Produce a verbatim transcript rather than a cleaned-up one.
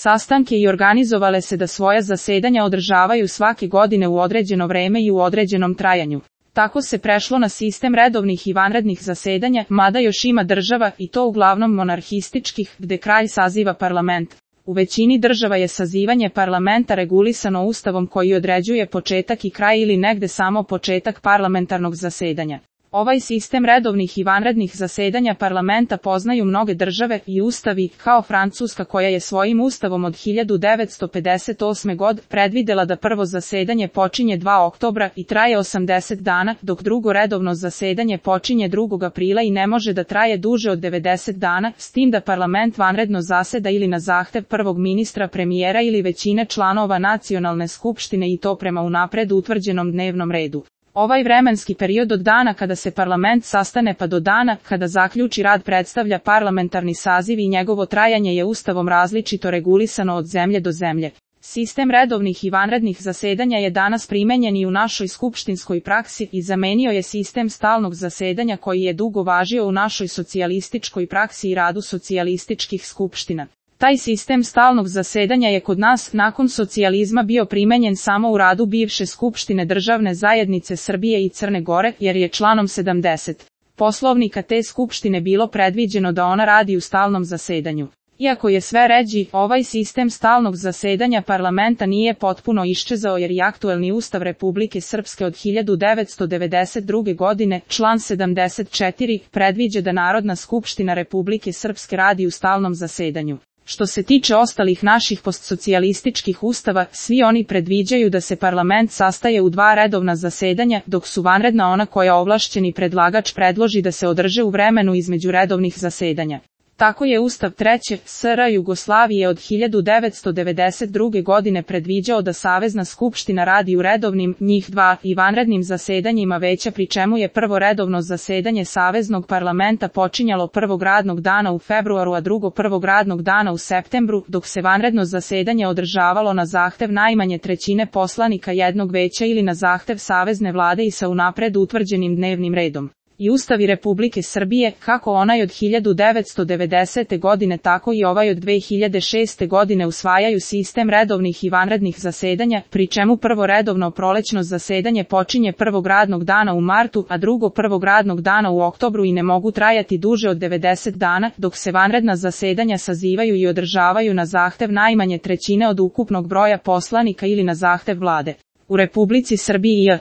sastanke i organizovale se da svoja zasedanja održavaju svake godine u određeno vreme i u određenom trajanju. Tako se prešlo na sistem redovnih i vanrednih zasedanja, mada još ima država, i to uglavnom monarhističkih, gde kralj saziva parlament. U većini država je sazivanje parlamenta regulisano ustavom koji određuje početak i kraj ili negde samo početak parlamentarnog zasedanja. Ovaj sistem redovnih i vanrednih zasedanja parlamenta poznaju mnoge države i ustavi, kao Francuska koja je svojim ustavom od hiljadu devetsto pedeset osme. godine predvidela da prvo zasedanje počinje drugog oktobra i traje osamdeset dana, dok drugo redovno zasedanje počinje drugog aprila i ne može da traje duže od devedeset dana, s tim da parlament vanredno zaseda ili na zahtev prvog ministra, premijera ili većine članova nacionalne skupštine i to prema unapred utvrđenom dnevnom redu. Ovaj vremenski period od dana kada se parlament sastane pa do dana kada zaključi rad predstavlja parlamentarni saziv i njegovo trajanje je ustavom različito regulisano od zemlje do zemlje. Sistem redovnih i vanrednih zasedanja je danas primenjen i u našoj skupštinskoj praksi i zamenio je sistem stalnog zasedanja koji je dugo važio u našoj socijalističkoj praksi i radu socijalističkih skupština. Taj sistem stalnog zasedanja je kod nas nakon socijalizma bio primenjen samo u radu bivše Skupštine Državne zajednice Srbije i Crne Gore, jer je članom sedamdeset Poslovnika te Skupštine bilo predviđeno da ona radi u stalnom zasedanju. Iako je sve ređi, ovaj sistem stalnog zasedanja parlamenta nije potpuno iščezao jer i aktuelni Ustav Republike Srpske od hiljadu devetsto devedeset druge. godine, član sedamdeset četiri, predviđa da Narodna skupština Republike Srpske radi u stalnom zasedanju. Što se tiče ostalih naših postsocijalističkih ustava, svi oni predviđaju da se parlament sastaje u dva redovna zasedanja, dok su vanredna ona koja ovlašćeni predlagač predloži da se održe u vremenu između redovnih zasedanja. Tako je Ustav Treće S R Jugoslavije od hiljadu devetsto devedeset druge. godine predviđao da Savezna skupština radi u redovnim, njih dva, i vanrednim zasedanjima veća, pri čemu je prvo redovno zasedanje Saveznog parlamenta počinjalo prvog radnog dana u februaru a drugo prvog radnog dana u septembru, dok se vanredno zasedanje održavalo na zahtev najmanje trećine poslanika jednog veća ili na zahtev Savezne vlade i sa unapred utvrđenim dnevnim redom. I Ustavi Republike Srbije, kako onaj od hiljadu devetsto devedesete. godine tako i ovaj od dve hiljade šeste. godine usvajaju sistem redovnih i vanrednih zasedanja, pri čemu prvo redovno prolećno zasedanje počinje prvog radnog dana u martu, a drugo prvog radnog dana u oktobru i ne mogu trajati duže od devedeset dana, dok se vanredna zasedanja sazivaju i održavaju na zahtev najmanje trećine od ukupnog broja poslanika ili na zahtev vlade. U Republici Srbiji je